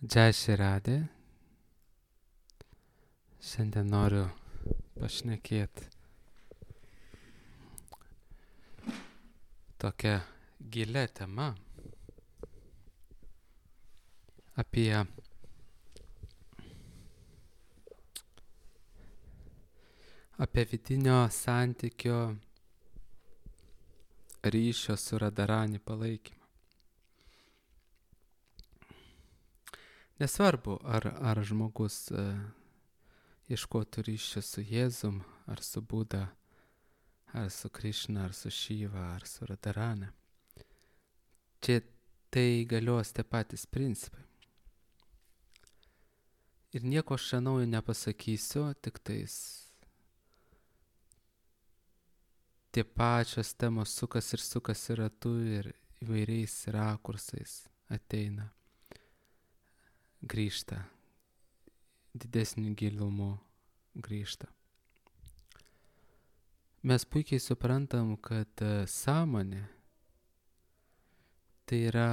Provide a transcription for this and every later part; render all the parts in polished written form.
Džai Širadė. Šiandien noriu pašnekėti tokią gilią temą apie vidinio santykio ryšio su Radharani palaikymą. Nesvarbu, ar žmogus ieškotų ryšio su Jėzum, ar su Buda, ar su Krišna, ar su Šiva, ar su Radharani. Čia tai galios tie patys principai. Ir nieko aš čia naujo nepasakysiu, tik tais tie pačios temos sukasi ratu ir įvairiais rakursais ateina, grįžta, didesniu gilumu grįžta. Mes puikiai suprantam, kad sąmonė tai yra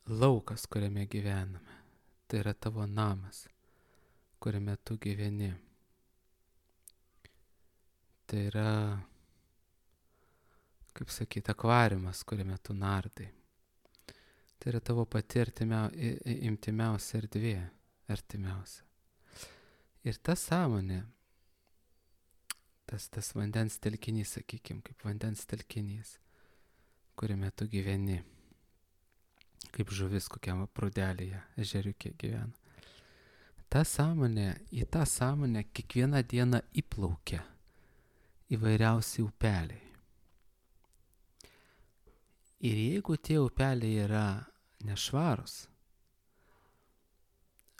laukas, kuriame gyvename. Tai yra tavo namas, kuriame tu gyveni. Tai yra, kaip sakyti, akvariumas, kuriame tu nardai. Tai yra tavo pati intimiausia erdvė, artimiausia. Ir ta sąmonė, tas vandens telkinys, sakykime, kaip vandens telkinys, kuriame tu gyveni, kaip žuvis kokiam prūdelėje, ežeriuke gyvena. Į tą sąmonę kiekvieną dieną įplaukia įvairiausi upeliai. Ir jeigu tie upeliai yra nešvarus,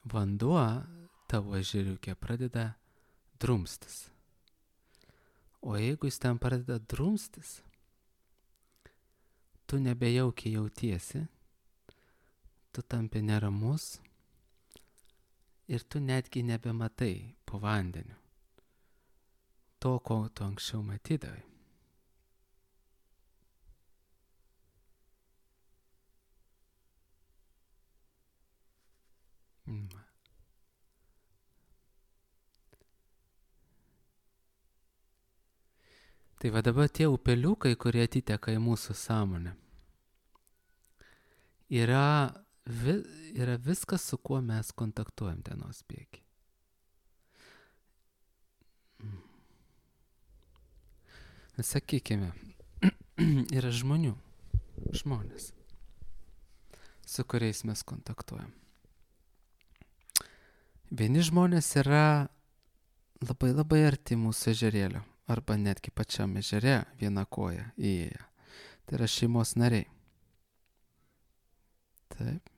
vanduo tavo ežeriuke pradeda drumstis. O jeigu jis ten pradeda drumstis, tu nebejaukiai jautiesi, tu tampi neramus ir tu netgi nebematai po vandeniu to, ko tu anksčiau matydavai. Tai va dabar tie upeliukai, kurie atiteka į mūsų sąmonę, yra viskas, su kuo mes kontaktuojam dienos bėgy. Sakykime, yra žmonės, su kuriais mes kontaktuojam. Vieni žmonės yra labai labai arti mūsų ežerėlio, arba netgi pačiam ežere viena koja įėję. Tai yra šeimos nariai. Taip.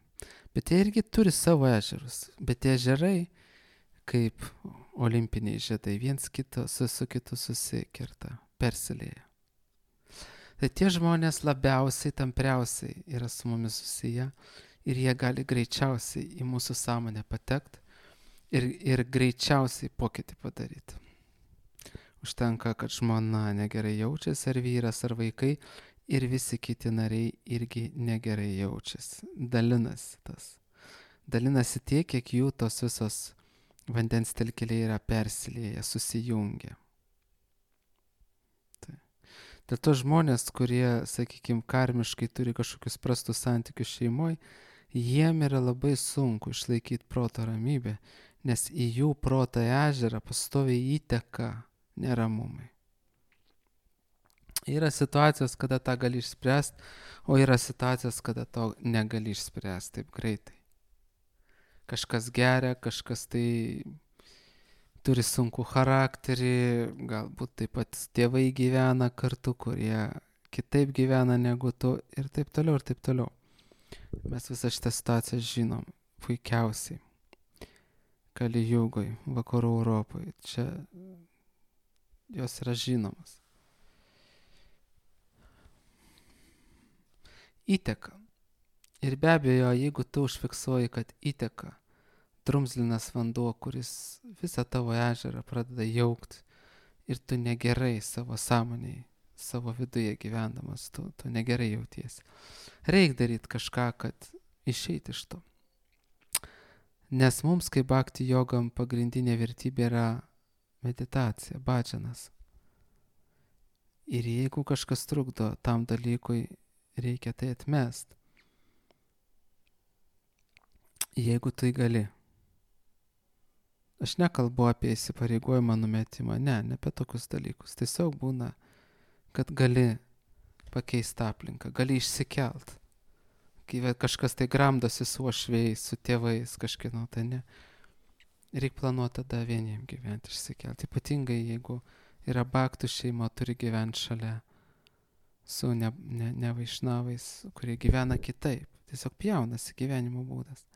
Bet jie irgi turi savo ežerus. Bet tie ežerai, kaip olimpiniai žiedai, viens su kitu susikerta, persilieja. Tai tie žmonės labiausiai, tampriausiai yra su mumis susiję ir jie gali greičiausiai į mūsų sąmonę patekti ir greičiausiai pokytį padaryti. Užtenka, kad žmona negerai jaučiasi, ar vyras, ar vaikai, ir visi kiti nariai irgi negerai jaučiasi. Dalinasi tiek, kiek jų tos visos vandens telkeliai yra persilieję, susijungę. Dėl to žmonės, kurie, sakykime, karmiškai turi kažkokius prastus santykius šeimoje, jiem yra labai sunku išlaikyti proto ramybę, nes į jų proto ežerą pastoviai įteka neramumai. Yra situacijos, kada tą gali išspręsti, o yra situacijos, kada to negali išspręsti taip greitai. Kažkas geria, kažkas tai turi sunkų charakterį, galbūt taip pat tėvai gyvena kartu, kurie kitaip gyvena negu tu ir taip toliau, ir taip toliau. Mes visą šitą situaciją žinom puikiausiai. Kali Jugoj, vakarų Europoje, čia jos yra žinomas. Įteka. Ir be abejo, jeigu tu užfiksuoji, kad įteka drumzlinas vanduo, kuris visą tavo ežerą pradeda jaukti ir tu negerai savo sąmonėje, savo viduje gyvendamas, tu negerai jautiesi. Reik daryti kažką, kad išeiti iš to. Nes mums, kaip bhakti jogam, pagrindinė vertybė yra meditacija, bhajanas. Ir jeigu kažkas trukdo tam dalykui, reikia tai atmest. Jeigu tai gali. Aš nekalbu apie įsipareigojimą numetimą, ne apie tokius dalykus. Tiesiog būna, kad gali pakeisti aplinką, gali išsikelt. Kai kažkas tai gramdosi su uošviais, su tėvais, kažkieno, tai ne. Reikia planuoti tada vieniem gyventi, išsikelti. Ypatingai, jeigu yra bhaktų šeima, turi gyventi šalia su ne vaišnavais, kurie gyvena kitaip. Tiesiog pjaunasi gyvenimo būdas.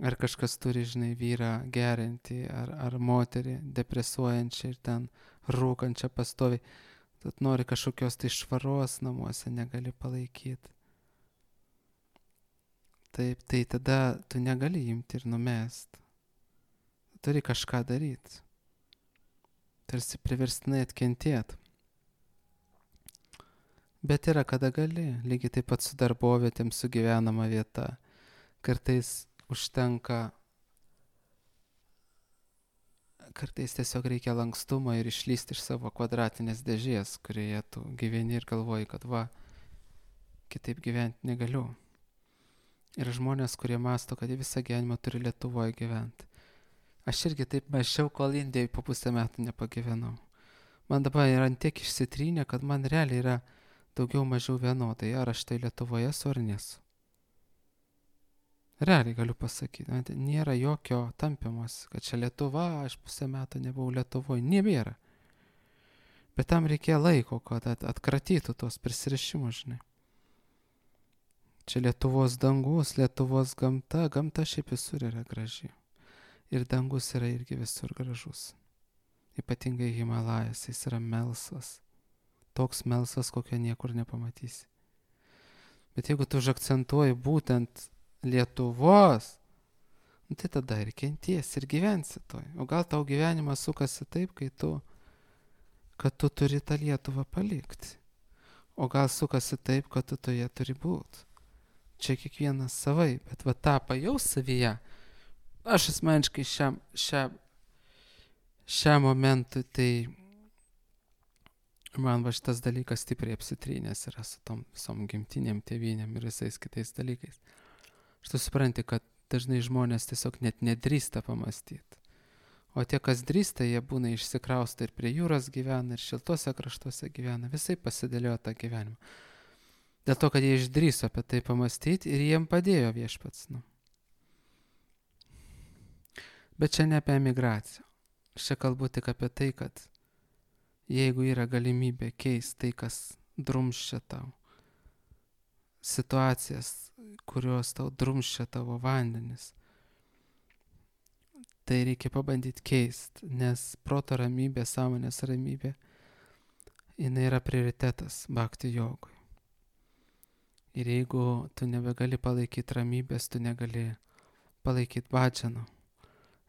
Ar kažkas turi, žinai, vyrą gerinti, ar moterį depresuojančią ir ten rūkančią pastoviai. Tad nori kažkokios tai švaros namuose, negali palaikyti. Taip, tai tada tu negali imti ir numest. Turi kažką daryti. Tarsi priverstinai atkentėti. Bet yra, kada gali. Lygiai taip pat su darbovietėm, su gyvenama vieta. Kartais užtenka, kartais tiesiog reikia lankstumo ir išlysti iš savo kvadratinės dėžės, kurioje tu gyveni ir galvoji, kad kitaip gyventi negaliu. Ir žmonės, kurie mąsto, kad jie visą gyvenimą turi Lietuvoje gyventi. Aš irgi taip mąsčiau, kol Indijoje po pusę metų nepagyvenau. Man dabar yra tiek išsitrynę, kad man realiai yra daugiau mažiau vienodai, ar aš tai Lietuvoje esu ar nesu. Realiai galiu pasakyti, nėra jokio tampymas, kad čia Lietuva, aš pusę metų nebuvau Lietuvoje, nebėra. Bet tam reikėjo laiko, kad atkratytų tos prisirišimus, žinai. Čia Lietuvos dangus, Lietuvos gamta, gamta šiaip visur yra graži. Ir dangus yra irgi visur gražus. Ypatingai Himalajas, jis yra melsvas. Toks melsvas, kokio niekur nepamatysi. Bet jeigu tu užakcentuoji būtent Lietuvos, tai tada ir kenties, ir gyvensi toj. O gal tau gyvenimas sukasi taip, kad tu turi tą Lietuvą palikti. O gal sukasi taip, kad tu toje turi būti. Čia kiekvienas savai, bet tą pajaus savyje. Aš asmeniškai šiam momentui, tai man šitas dalykas stipriai apsitrynęs yra su tom visom gimtinėm, tėvynėm ir visais kitais dalykais. Tu supranti, kad dažnai žmonės tiesiog net nedrįsta pamastyti. O tie, kas drįsta, jie būna išsikrausta ir prie jūros gyvena, ir šiltuose kraštuose gyvena, visai pasidėliojo tą gyvenimą. Dėl to, kad jie išdrįso apie tai pamastyti ir jiem padėjo viešpats. Bet čia ne apie emigraciją. Aš čia kalbu tik apie tai, kad jeigu yra galimybė keisti tai, kas drumsčia tau, situacijas, kurios tau drumsčia tavo vandenis, tai reikia pabandyti keisti, nes proto ramybė, sąmonės ramybė, jinai yra prioritetas bhakti jogui. Ir jeigu tu nebegali palaikyti ramybės, tu negali palaikyti bhajano,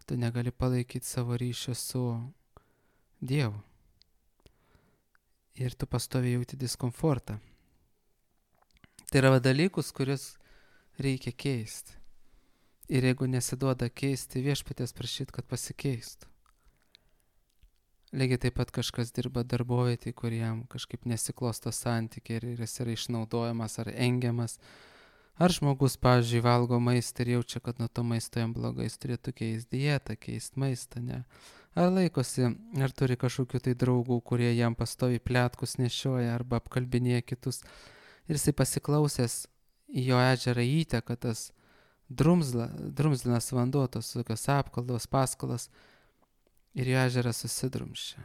tu negali palaikyti savo ryšio su Dievu. Ir tu pastoviai jauti diskomfortą. Tai yra dalykus, kuriuos reikia keisti. Ir jeigu nesiduoda keisti, viešpaties prašyti, kad pasikeistų. Lygiai taip pat kažkas dirba darbovietėje, kuriam kažkaip nesiklosto santykiai ir jis yra išnaudojamas ar engiamas. Ar žmogus, pavyzdžiui, valgo maistą ir jaučia, kad nuo to maisto jam blogai, jis turėtų keisti dietą, keisti maistą, ne? Ar laikosi, ar turi kažkokių tai draugų, kurie jam pastoviai pletkus nešioja arba apkalbinėja kitus. Ir jisai pasiklausęs į jo ežerą įteka tas drumzlinas vanduo, tos tokios apkaldos, paskalos, ir jo ežeras susidrumščia.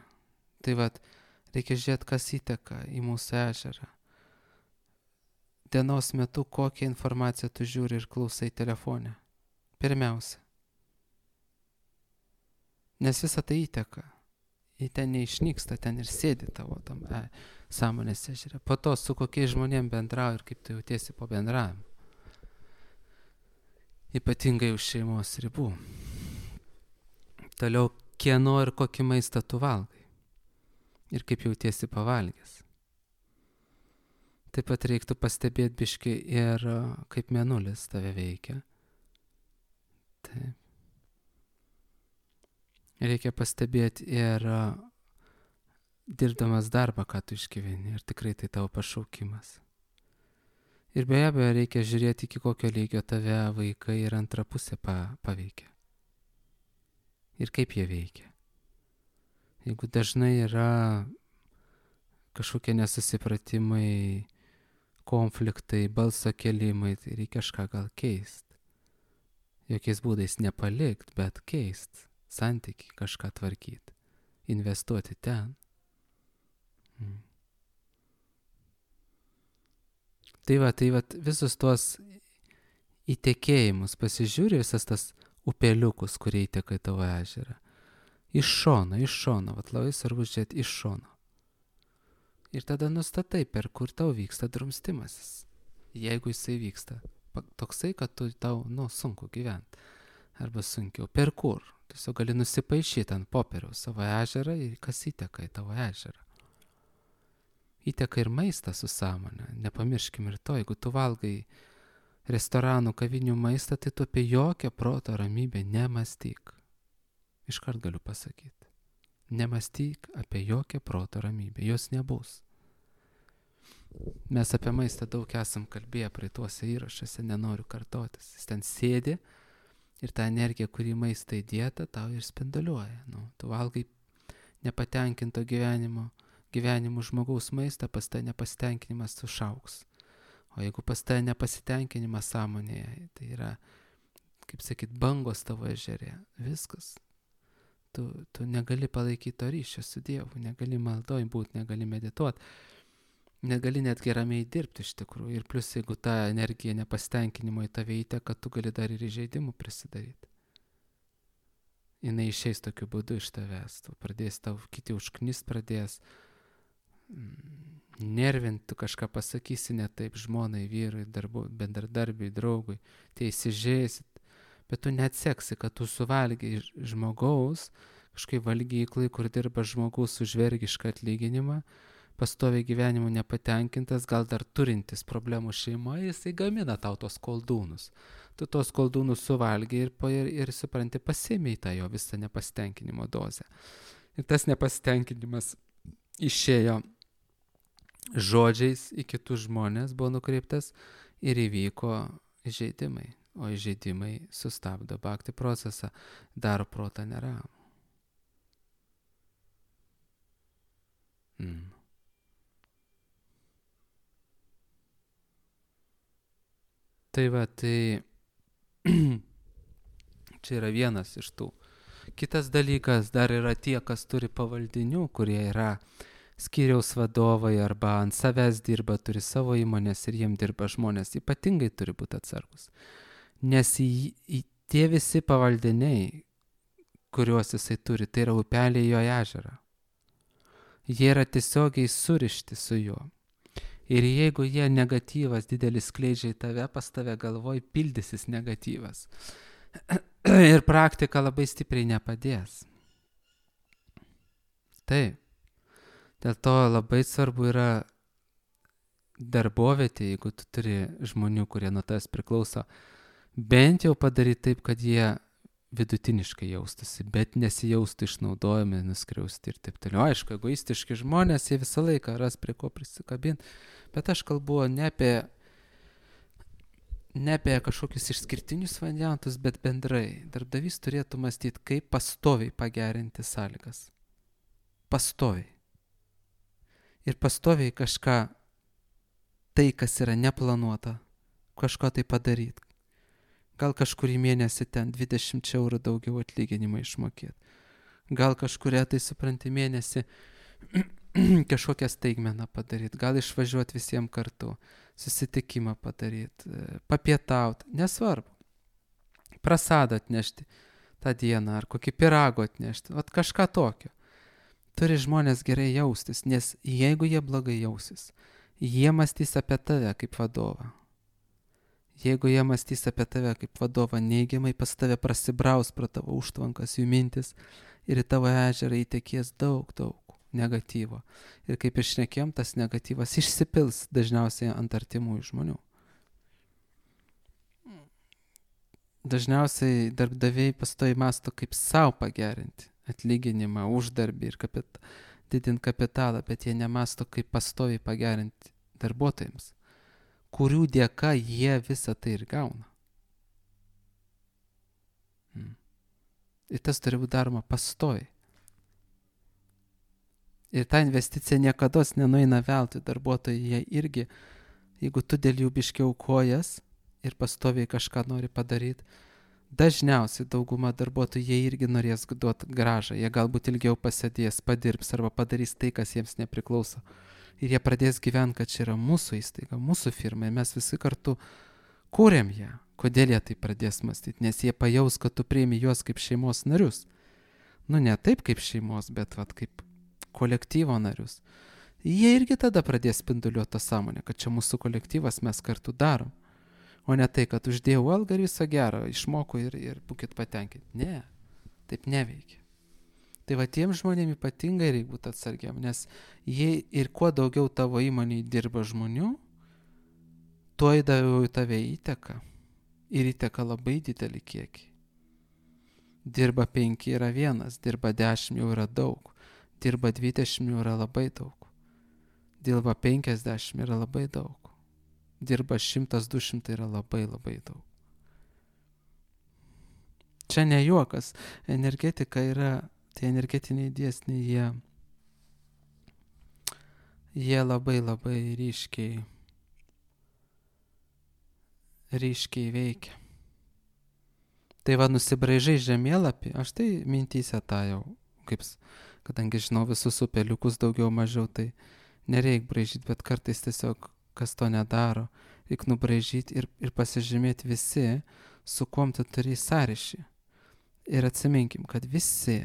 Tai reikia žiūrėti, kas įteka į mūsų ežerą. Dienos metu kokią informaciją tu žiūri ir klausai telefone. Pirmiausia. Nes visa tai įteka. Į ten neišnyksta, ten ir sėdi tavo tam sąmonės ežere. Po to su kokiais žmonėm bendrauji ir kaip tu jautiesi po bendravimo. Ypatingai už šeimos ribų. Toliau, kieno ir kokį maistą tu valgai. Ir kaip jautiesi pavalgęs. Taip pat reiktų pastebėti biškį ir kaip mėnulis tave veikia. Taip. Reikia pastebėti ir dirbdamas darbą, ką tu išgyveni, ir tikrai tai tavo pašaukimas. Ir be abejo reikia žiūrėti, iki kokio lygio tave vaikai ir antra pusė paveikia. Ir kaip jie veikia. Jeigu dažnai yra kažkokie nesusipratimai, konfliktai, balso kelimai, tai reikia kažką gal keisti. Jokiais būdais nepalikt, bet keist santykį, kažką tvarkyti, investuoti ten. Tai va, visus tuos įtekėjimus pasižiūri, visas tas upeliukus, kurie įteka į tavo ežerą. Iš šono, vat labai svarbu žiūrėti iš šono. Ir tada nustatai, per kur tau vyksta drumstimasis. Jeigu jisai vyksta toksai, kad tau, sunku gyventi. Arba sunkiau. Per kur? Tiesiog gali nusipaišyti ant popieriaus savo ežerą ir kas įteka į tavo ežerą. Įteka ir maistas su sąmonė. Nepamirškim ir to, jeigu tu valgai restoranų, kavinių maistą, tai tu apie jokią proto ramybę nemąstyk. Iškart galiu pasakyti. Nemąstyk apie jokią proto ramybę. Jos nebus. Mes apie maistą daug esam kalbėję praeituose įrašuose, nenoriu kartotis. Jis ten sėdi ir ta energija, kuri maistą įdėta, tau ir spinduliuoja. Tu valgai nepatenkinto gyvenimu žmogaus maistą, pas tai nepasitenkinimas sušauks. O jeigu pas tai nepasitenkinimas sąmonėje, tai yra, kaip sakyt, bangos tavo ežerė. Viskas. Tu negali palaikyti to ryšio su Dievu, negali maldoj būti, negali medituoti, negali net geramiai dirbti iš tikrųjų. Ir plus, jeigu ta energija nepasitenkinimo į tave įteka, tu gali dar ir įžeidimų prisidaryti. Jinai išeis tokiu būdu iš tavęs. Tu pradės, tau kiti užknist pradės, nervinti, tu kažką pasakysi ne taip žmonai, vyrui, bendradarbiui, draugui, tai įsižeisit. Bet tu neatseksi, kad tu suvalgiai žmogaus, kažkaip valgyklai, kur dirba žmogus už vergišką atlyginimą, pastoviai gyvenimu nepatenkintas, gal dar turintis problemų šeimoje, jisai gamina tau tos koldūnus. Tu tos koldūnus suvalgiai ir supranti, pasiėmei tą jo visą nepasitenkinimo dozę. Ir tas nepasitenkinimas išėjo žodžiais į kitus žmonės, buvo nukreiptas ir įvyko įžeidimai. O įžeidimai sustabdo bhakti procesą, daro protą neramų. Tai va, čia yra vienas iš tų. Kitas dalykas, dar yra tie, kas turi pavaldinių, kurie yra skyriaus vadovai arba ant savęs dirba, turi savo įmonės ir jiem dirba žmonės, ypatingai turi būti atsargus. Nes tie visi pavaldiniai, kuriuos jisai turi, tai yra upeliai jo ežerą. Jie yra tiesiogiai surišti su juo. Ir jeigu jie negatyvas didelis skleidžia į tave, pas tave galvoj pildysis negatyvas. Ir praktika labai stipriai nepadės. Taip. Dėl to labai svarbu yra darbovietė, jeigu tu turi žmonių, kurie nuo tavęs priklauso, bent jau padaryti taip, kad jie vidutiniškai jaustųsi, bet nesijaustų išnaudojami, nuskriausti ir taip toliau. Aišku, egoistiški žmonės, jie visą laiką ras prie ko prisikabinti, bet aš kalbu ne apie kažkokius išskirtinius variantus, bet bendrai. Darbdavys turėtų mąstyti, kaip pastoviai pagerinti sąlygas. Pastoviai. Ir pastoviai kažką, tai kas yra neplanuota, kažko tai padaryti. Gal kažkurį mėnesį ten 20 eurų daugiau atlyginimą išmokėti. Gal kažkuria tai supranti mėnesį kažkokią staigmeną padaryti. Gal išvažiuoti visiems kartu, susitikimą padaryti, papietauti, nesvarbu. Prasadą atnešti tą dieną ar kokį pirago atnešti, vat kažką tokio. Turi žmonės gerai jaustis, nes jeigu jie blogai jausis, jie mąstys apie tave kaip vadovą. Jeigu jie mąstys apie tave kaip vadovą neigiamai, pas tave prasibraus pro tavo užtvankas jų mintis ir į tavo ežerą įtekės daug negatyvo. Ir kaip išnekėjom, tas negatyvas išsipils dažniausiai ant artimųjų žmonių. Dažniausiai darbdaviai pastoviai mąsto, kaip savo pagerinti atlyginimą, uždarbį ir didinti kapitalą, bet jie nemąsto, kaip pastoviai pagerinti darbuotojams, kurių dėka jie visą tai ir gauna. Ir tas turi būti daroma pastoviai. Ir ta investicija niekados nenueina veltui. Darbuotojai jie irgi, jeigu tu dėl jų biškiau kojas ir pastoviai kažką nori padaryti, dažniausiai dauguma darbuotojų jie irgi norės duoti grąžą. Jie galbūt ilgiau pasėdės, padirbs arba padarys tai, kas jiems nepriklauso. Ir jie pradės gyventi, kad čia yra mūsų įstaiga, mūsų firma. Ir mes visi kartu kūrėm ją. Kodėl jie tai pradės mąstyti? Nes jie pajaus, kad tu priimi juos kaip šeimos narius. Nu, ne taip kaip šeimos, bet kaip kolektyvo narius. Jie irgi tada pradės spinduliuoti tą sąmonę, kad čia mūsų kolektyvas, mes kartu darom. O ne tai, kad uždėjau algą ir viso gero, išmoku ir būkit patenkinti. Ne, taip neveikia. Tai va tiem žmonėm ypatingai reikia būti atsargiam, nes jie ir kuo daugiau tavo įmonėje dirba žmonių, tuo daugiau tave įteka. Ir įteka labai didelį kiekį. Dirba 5 yra 1, dirba 10 jau yra daug, dirba 20 jau yra labai daug, dirba 50 yra labai daug. Dirba 100-200 yra labai labai daug. Čia ne juokas. Energetika yra, tie energetiniai dėsniai, jie labai labai ryškiai veikia. Tai va, nusibraižai žemėlapį, aš tai mintyse tą jau, kadangi žinau visus upeliukus daugiau mažiau, tai nereik braižyti, bet kartais tiesiog kas to nedaro, reikia nubraižyti ir pasižymėti visi, su kuom tu turi sąryšį. Ir atsiminkim, kad visi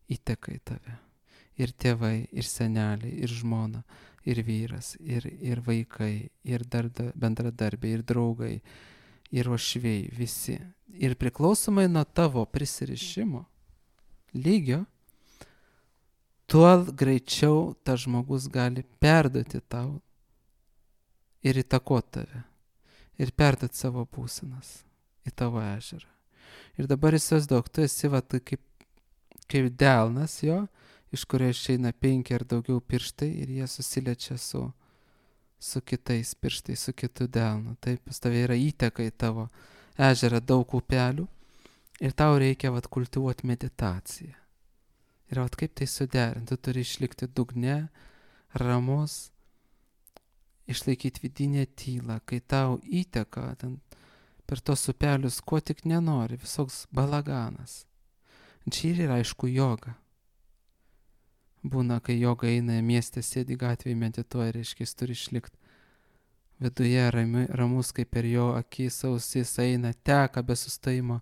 įteka į tave. Ir tėvai, ir seneliai, ir žmona, ir vyras, ir vaikai, ir bendradarbiai, ir draugai, ir uošviai, visi. Ir priklausomai nuo tavo prisirišimo lygio, tuo greičiau tas žmogus gali perduoti tau ir įtakoti tave. Ir perduoti savo būsenas į tavo ežerą. Ir dabar įsivaizduok, tu esi kaip delnas jo, iš kurio išeina 5 ar daugiau pirštai ir jie susiliečia su kitais pirštais, su kitu delnu. Taip, pas tave yra įteka į tavo ežerą daug upelių ir tau reikia kultivuoti meditaciją. Ir kaip tai suderinti, tu turi išlikti dugne, ramus, išlaikyti vidinę tylą, kai tau įteka per tos upelius, ko tik nenori, visoks balaganas. Čia ir yra aišku joga. Būna, kai joga eina mieste, sėdi gatvėje, medituoja, reiškia, jis turi išlikti viduje ramus, kaip per jo akis, ausis eina, teka be sustojimo,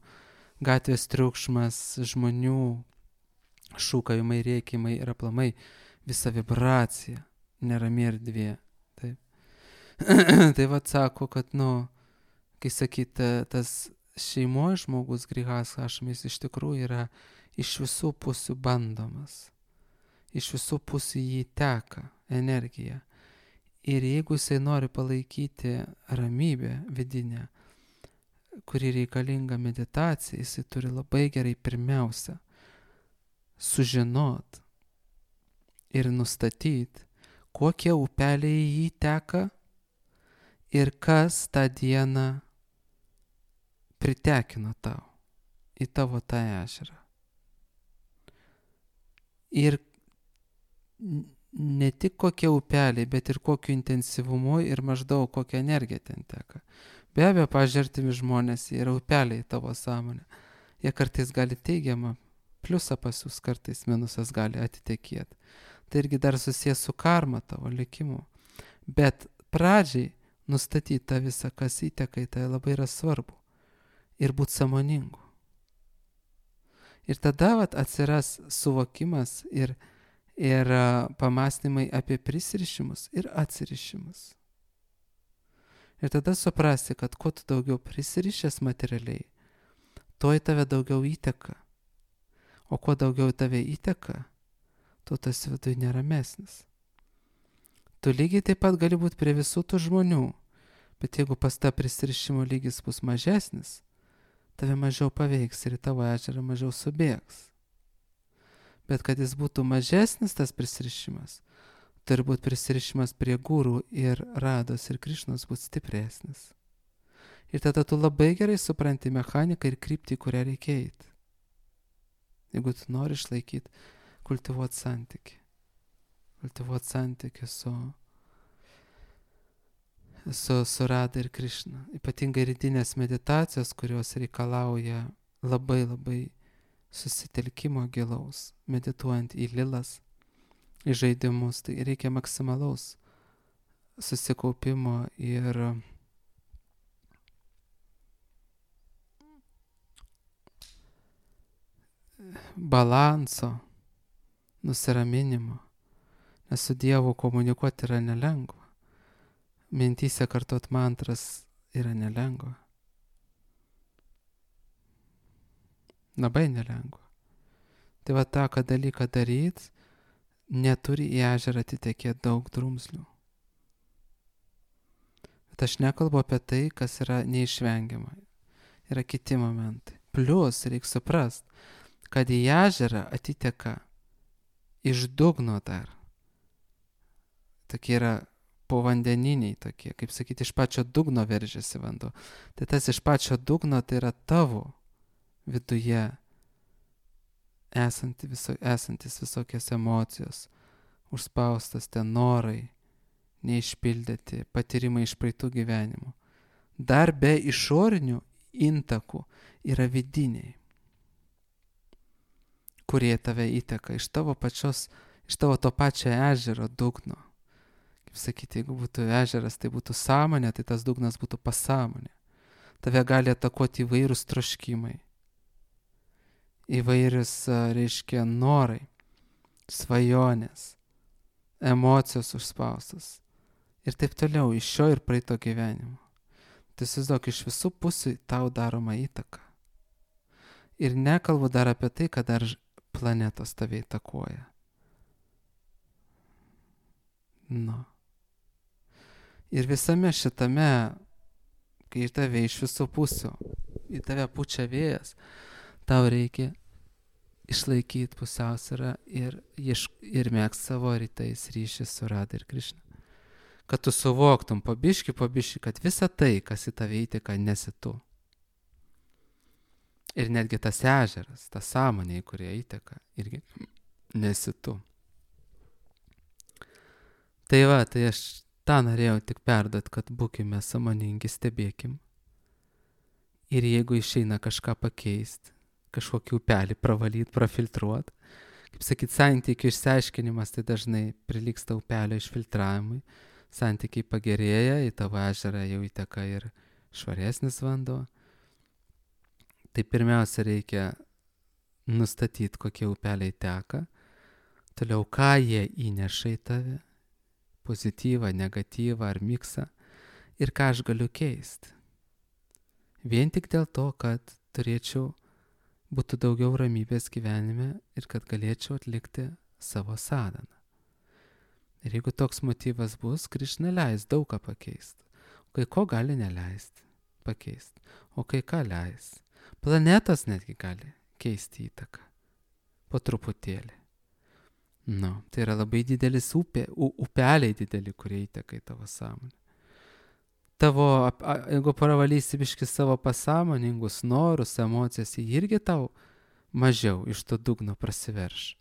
gatvės triukšmas, žmonių šūkavimai, rėkimai ir aplamai visa vibracija, nerami erdvė. Tai sako, kad, kai sakyta, tas šeimos žmogus grihas hašamis iš tikrųjų yra iš visų pusių bandomas. Iš visų pusių jį teka energija. Ir jeigu jisai nori palaikyti ramybę vidinę, kuri reikalinga meditacija, jisai turi labai gerai pirmiausia sužinot ir nustatyti, kokie upeliai jį teka ir kas tą dieną pritekino tau į tavo tą ežerą. Ir ne tik kokie upeliai, bet ir kokiu intensyvumu ir maždaug kokia energija ten teka. Be abejo, pažiūrėtimi žmonės yra upeliai tavo sąmonė. Jie kartais gali teigiamą pliusą pasiūs, kartais minusas gali atitekėti. Tai irgi dar susijęs su karma tavo likimu. Bet pradžiai nustatyti tą visą, kas įteka į tai labai yra svarbu. Ir būti sąmoningu. Ir tada atsiras suvokimas ir pamąstymai apie prisirišimus ir atsirišimus. Ir tada suprasi, kad kuo tu daugiau prisirišęs materialiai, tuo į tave daugiau įteka. O kuo daugiau tave įteka, tu tas viduje neramesnis. Tu lygiai taip pat gali būti prie visų tų žmonių, bet jeigu pas tą prisirišimo lygis bus mažesnis, tave mažiau paveiks ir į tavo ežerą mažiau subėgs. Bet kad jis būtų mažesnis, tas prisirišimas, turi būti prisirišimas prie gūrų ir rados ir Krišnos būti stipresnis. Ir tada tu labai gerai supranti mechaniką ir kryptį, kurią reikia eiti. Jeigu tu nori išlaikyti, kultivuoti santyki. Kultivuoti santyki su Rada ir Krišna. Ypatingai rytinės meditacijos, kurios reikalauja labai labai susitelkimo gilaus, medituojant į lilas, į žaidimus, tai reikia maksimalaus susikaupimo ir balanso, nusiraminimo, nes su Dievu komunikuoti yra nelengva. Mintyse kartot mantras yra nelengva. Labai nelengva. Tai va tą dalyką daryti, neturi į ežerą atitekėti daug drumzlių. Bet aš nekalbu apie tai, kas yra neišvengiama. Yra kiti momentai. Plius reikia suprast, kad į ežerą atiteka iš dugno dar. Tokie yra povandeniniai tokie, kaip sakyti, iš pačio dugno veržiasi vanduo. Tai tas iš pačio dugno tai yra tavo viduje esantis visokios emocijos, užspaustas ten norai, neišpildyti, patyrimai iš praeitų gyvenimų. Dar be išorinių intakų yra vidiniai, kurie tave įteka iš tavo to pačio ežero dugno. Kaip sakyti, jeigu būtų ežeras, tai būtų sąmonė, tai tas dugnas būtų pasąmonė. Tave gali atakuoti įvairūs troškimai, įvairius, reiškia, norai, svajonės, emocijos užspaustas ir taip toliau iš šio ir praeito gyvenimo. Tai įsivaizduok, iš visų pusių tau daroma įtaka. Ir nekalbu dar apie tai, kad dar planetos tave įtakoja. Nu. Ir visame šitame, kai tave iš visų pusių, į tave pučia vėjas, tau reikia išlaikyti pusiausvyrą ir mėgst savo rytais ryšį su Rada ir Krišna. Kad tu suvoktum po biškį, kad visa tai, kas į tave įteka, nesi tu. Ir netgi tas ežeras, ta sąmonė, į kurią įteka, irgi nesi tu. Tai va, tai aš tą norėjau tik perduot, kad būkime sąmoningi, stebėkim. Ir jeigu išeina kažką pakeisti, kažkokį upelį pravalyti, prafiltruoti, kaip sakyt, santykių išsiaiškinimas tai dažnai prilygsta upelio išfiltravimui. Santykiai pagerėja, į tavo ežerą jau įteka ir švaresnis vanduo. Tai pirmiausia reikia nustatyti, kokie upeliai teka, toliau ką jie įneša į tave, pozityvą, negatyvą ar miksą ir ką aš galiu keisti. Vien tik dėl to, kad būtų daugiau ramybės gyvenime ir kad galėčiau atlikti savo sadhaną. Ir jeigu toks motyvas bus, Krišna leis daug ką pakeisti. O kai ko gali neleisti pakeisti, o kai ką leis. Planetos netgi gali keisti įtaką. Po truputėlį. Tai yra labai didelis upeliai dideli, kurie įteka į tavo sąmonę. Jeigu pravalysi biškį savo pasąmoningus norus, emocijas, jie irgi tau mažiau iš to dugno prasiverš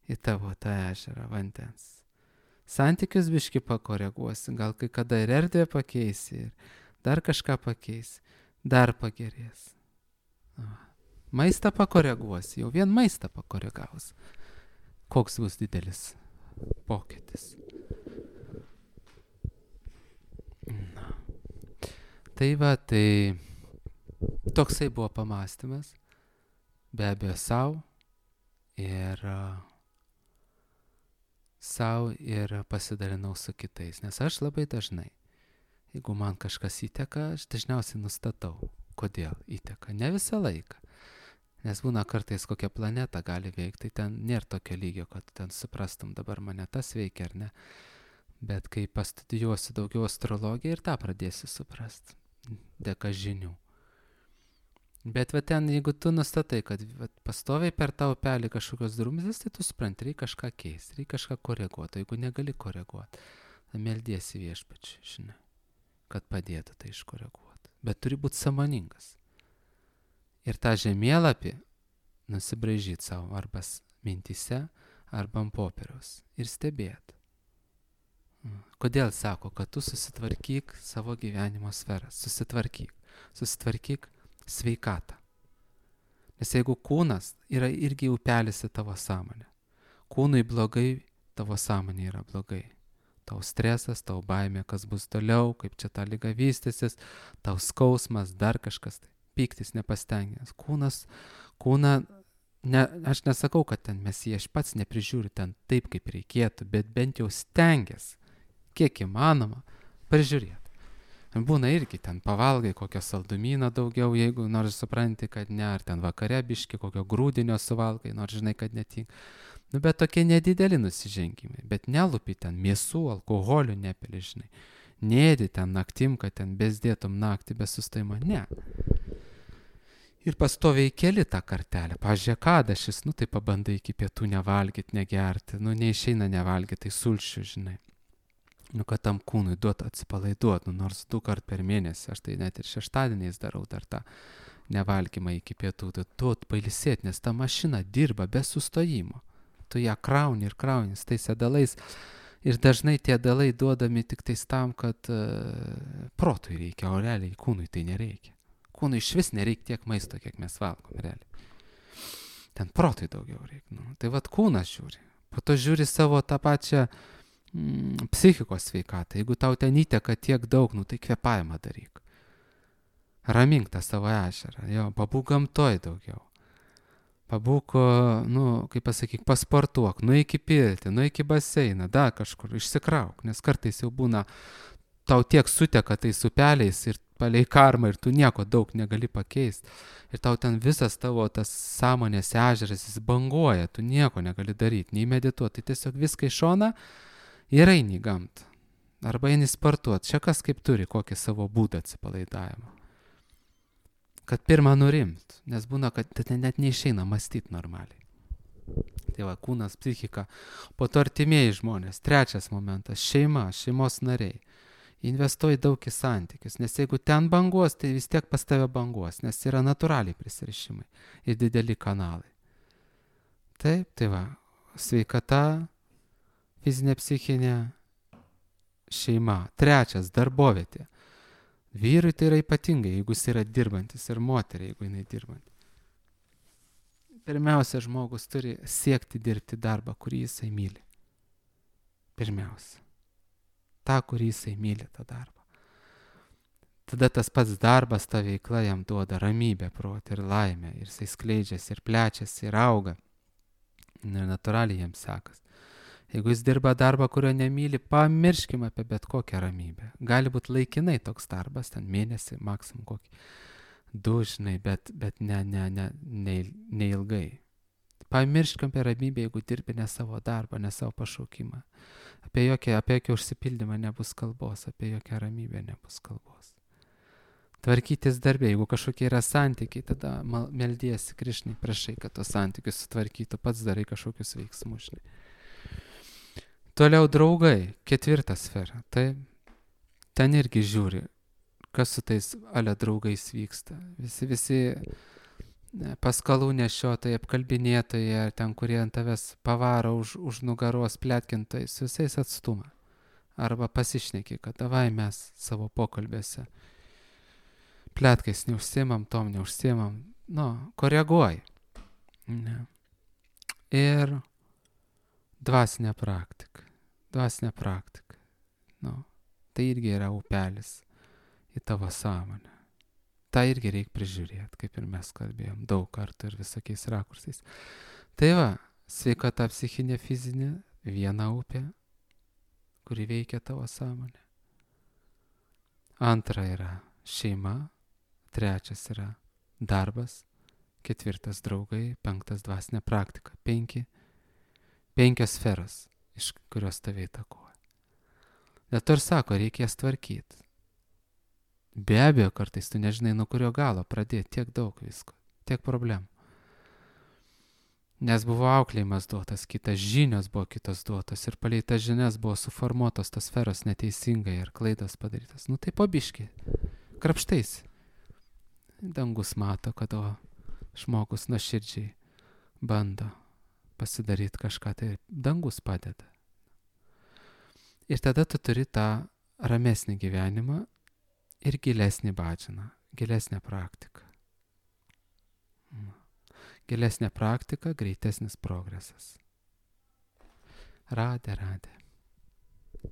į tavo tą ežerą vandens. Santykius biškį pakoreguosi, gal kai kada ir erdvę pakeisi, ir dar kažką pakeisi, dar pagerės. Maistą pakoreguosi, jau vien maistą pakoregavus. Koks bus didelis pokytis. Tai va, tai toksai buvo pamąstymas, be abejo savo ir pasidalinau su kitais, nes aš labai dažnai, jeigu man kažkas įteka, aš dažniausiai nustatau, kodėl įteka, ne visą laiką. Nes būna kartais kokią planetą gali veikti, tai ten nėra tokio lygio, kad ten suprastum dabar mane tas veikia ar ne. Bet kai pastudijuosi daugiau astrologiją ir tą pradėsi suprast, dėka žinių. Bet va ten, jeigu tu nustatai, kad pastoviai per tą upelį kažkokios drumzės, tai tu supranti, reikia kažką keisti, reikia kažką koreguoti. Jeigu negali koreguoti, tai meldiesi viešpačiui, žinai, kad padėtų tai iškoreguoti. Bet turi būti sąmoningas. Ir tą žemėlapį nusibraižyti savo arba mintyse, arba ant popieriaus ir stebėti. Kodėl sako, kad tu susitvarkyk savo gyvenimo sferą, susitvarkyk sveikatą. Nes jeigu kūnas yra irgi upelis į tavo sąmonę, kūnui blogai, tavo sąmonė yra blogai. Tau stresas, tau baimė, kas bus toliau, kaip čia ta liga vystysis, tau skausmas, dar kažkas, tai pyktis, nepastengęs. Kūną, aš nesakau, kad ten mes jį aš pats neprižiūriu ten taip, kaip reikėtų, bet bent jau stengiasi, kiek įmanoma, prižiūrėti. Būna irgi ten pavalgai kokio saldumyno daugiau, jeigu nors supranti, kad ne, ar ten vakare biški kokio grūdinio suvalgai, nors žinai, kad netinka. Bet tokie nedideli nusižengimai, bet nelupi ten mėsų, alkoholių nepili, žinai. Nėdi ten naktim, kad ten bezdėtum naktį be sustojimo, ne. Ir pastoviai keli tą kartelę. Pavyzdžiui, kadašis, tai pabandai iki pietų nevalgyti, negerti, neišeina nevalgyti, tai sulšių, žinai. Kad tam kūnui duot atsipalaiduot, nors 2 kart per mėnesį, aš tai net ir šeštadieniais darau dar tą nevalgymą iki pietų, tai duot pailsėti, nes ta mašina dirba be sustojimo. Tu ją krauni ir krauni tais dalais ir dažnai tie dalai duodami tik tais tam, kad protui reikia, o realiai kūnui tai nereikia. Kūnui iš vis nereikia tiek maisto, kiek mes valgom, realiai. Ten protui daugiau reikia. Tai vat kūnas žiūri. Po to žiūri savo tą pačią psichikos sveikatą. Jeigu tau ten įteka tiek daug, tai kvėpavimą daryk. Ramink tą savo ežerą. Jo, pabūk gamtoj daugiau. Pabūk, kaip pasakyk, pasportuok, nueik į pirtį, nueik į baseiną, dar kažkur, išsikrauk, nes kartais jau būna, tau tiek suteka tais upeliais ir palei karmą ir tu nieko daug negali pakeisti. Ir tau ten visas tavo tas sąmonės ežeras, jis banguoja, tu nieko negali daryti, nei medituoti, tai tiesiog viską iš šoną ir eini į gamtą. Arba eini sportuoti, čia kas kaip turi, kokį savo būdą atsipalaidavimą. Kad pirmą nurimt, nes būna, kad net neišeina mąstyti normaliai. Tai va, kūnas, psichika, po to artimieji žmonės. 3 momentas, šeima, šeimos nariai. Investuoji daug į santykius, nes jeigu ten banguos, tai vis tiek pas tave banguos, nes yra natūraliai prisirišimai ir dideli kanalai. Taip, tai va, sveikata, fizinė, psichinė, šeima. 3, darbovietė. Vyrui tai yra ypatingai, jeigu jis yra dirbantis, ir moteriai, jeigu jinai dirbanti. Pirmiausia, žmogus turi siekti dirbti darbą, kurį jisai myli. Pirmiausia. Ta, kurį jisai myli, tą darbą. Tada tas pats darbas, ta veikla jam duoda ramybę, protą ir laimę. Ir jisai skleidžiasi, ir plečiasi, ir auga. Ir natūraliai jam sekas. Jeigu jis dirba darbą, kurio nemyli, pamirškim apie bet kokią ramybę. Gali būti laikinai toks darbas, ten mėnesį, maksimum kokį 2, žinai, bet neilgai. Pamirškim apie ramybę, jeigu dirbi ne savo darbą, ne savo pašaukimą. Apie jokią užsipildymą nebus kalbos, apie jokią ramybę nebus kalbos. Tvarkytis darbė, jeigu kažkokie yra santykiai, tada meldiesi Krišnai, prašai, kad tos santykius sutvarkytų, pats darai kažkokius veiksmus, žinai. Toliau draugai, 4 sfera. Tai ten irgi žiūri, kas su tais draugais vyksta. Visi paskalų nešiotojai, apkalbinėtojai, ten, kurie ant tavęs pavaro už nugaros pletkintojai, su visais atstumą. Arba pasišneki, kad davai mes savo pokalbėse pletkais neužsiimam, tom neužsiimam. Koreguoji. Ne. Ir dvasinė praktika. Tai irgi yra upelis į tavo sąmonę. Tai irgi reikia prižiūrėti, kaip ir mes kalbėjom, daug kartų ir visokiais rakursais. Tai va, sveikata psichinė, fizinė, viena upė, kuri veikia tavo sąmonę. 2 yra šeima, 3 yra darbas 4 draugai, 5 dvasinė praktika. 5 sferos, iš kurios tave įtakoja. Dėl to ir sako, reikės tvarkyti. Be abejo, kartais tu nežinai, nuo kurio galo pradėti, tiek daug visko, tiek problemų. Nes buvo auklėjimas duotas, kitas žinios buvo kitos duotos ir palei tas žinias buvo suformuotos tos sferos neteisingai ir klaidos padarytas. Nu tai pabiški, krapštais. Dangus mato, kad žmogus nuoširdžiai bando pasidaryti kažką, tai dangus padeda. Ir tada tu turi tą ramesnį gyvenimą ir gilesnį bhajaną, gilesnę praktiką. Gilesnė praktika, greitesnis progresas. Radė.